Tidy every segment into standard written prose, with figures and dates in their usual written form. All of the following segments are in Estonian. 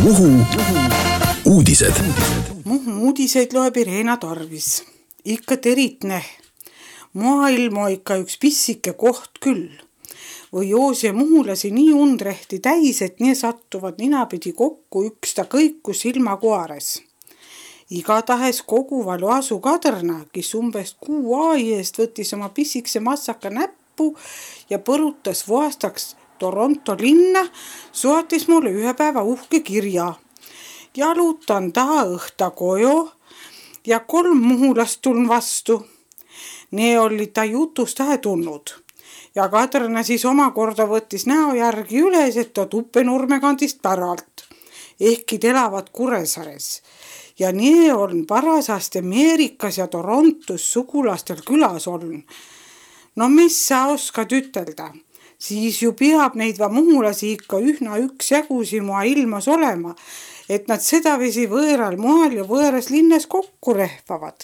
Muhu uudised. Muhu uudiseid loeb Irena Tarvis. Ikka teritne. Maailm on ikka üks pissike koht küll. Või joose muhulasi nii undrehti täis, et nii sattuvad ninapidi kokku üksta kõiku silmakuares. Igatahes koguva Loasu Kadrna, kes umbes 6 aai eest võttis oma pissikse massaka näppu ja põrutas voastaks Toronto linna, saatis mulle ühe päeva uhke kirja. Jalutan taha õhta kojo ja 3 muhulast tuln vastu. Ne oli ta jutust tähe tulnud. Ja Kadrna siis omakorda võttis näo järgi üles, et ta Tuppenurme kandist päralt. Ehkki elavad Kuressaares. Ja nii on parasasti Ameerikas ja Torontos sugulastel külas on. No mis sa oskad ütelda? Siis ju peab neid muhulasi ikka ühna üksjagusi mua ilmas olema, et nad sedavisi võõral moel ja võõras linnas kokku rehvavad.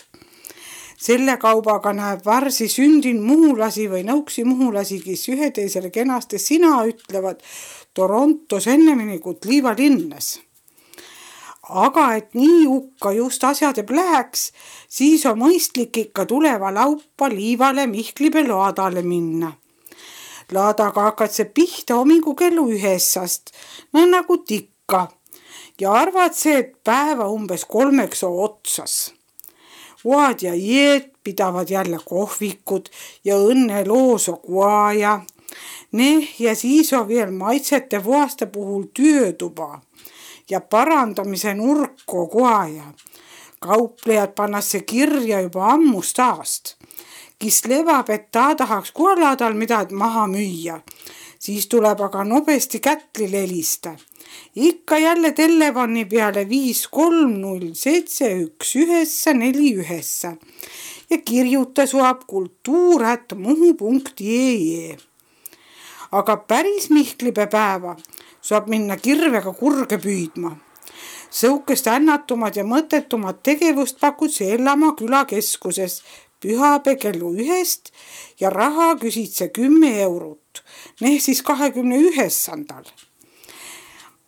Selle kaubaga näeb varsi sündin muhulasi või nõuksi muhulasi, kes üheteisele kenasti sina ütlevad Torontos ennemini kui Liiva linnas. Aga et nii ukka just asjad läheks, siis on mõistlik ikka tuleva laupa Liivale Mihklibe laadale minna. Laadaga hakkad see pihta hommikul kellu 9, no nagu tikka, ja arvad see, et päeva umbes 3 otsas. Vaad ja jeed pidavad jälle kohvikud ja õnnelooso kuaja. Ja siis on veel maitsete voaste puhul töötuba ja parandamise nurko kuaja. Kauplejad pannasse kirja juba ammust aast. Kis levab, et ta tahaks kualaadal midagi maha müüa. Siis tuleb aga nobesti kätli lelista. Ikka jälle telefoni peale 530711949 ja kirjuta suab kultuur@muhu.ee. Aga päris Mihklibe päeva saab minna kirvega kurge püüdma. Sõukest ännatumad ja mõttetumad tegevust pakud Sellamaa külakeskuses pühapäe kellu 1 ja raha küsid see 10 eurot, siis 29.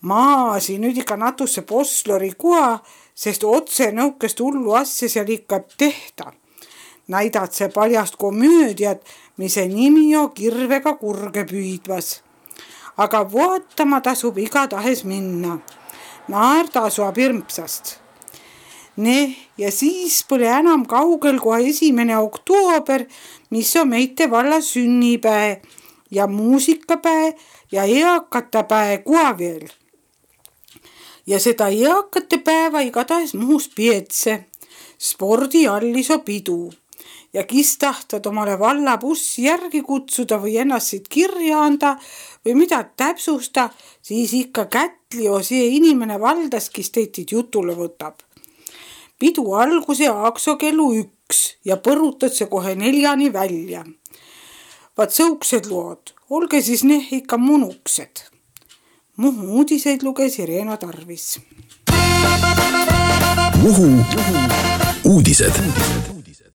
Maasi nüüd ikka natusse poslori kua, sest otse nõukest hullu asja seal ikka tehta. Näidad see paljast komöödiat, mis nimi on kirvega kurge püüdvas. Aga vaatama tasub igatahes minna. Naerda suab hirmsast. Ja siis pole enam kaugel kui 1. oktoober, mis on meite valla sünnipäe ja muusikapäe ja eakate päe kua veel. Ja seda eakate päeva igatahes Muhus pietse. Spordiallis on pidu. Ja kis tahtvad omale valla bussi järgi kutsuda või ennast siit kirja anda või mida täpsusta, siis ikka kätli on see inimene valdas, kes teitid jutule võtab. Pidu alguse aakso kellu 1 ja põrutad see kohe 4 välja. Vaat sõuksed lood, olge siis ikka munuksed. Muhu uudiseid luges Irena Tarvis. Muhu uudised.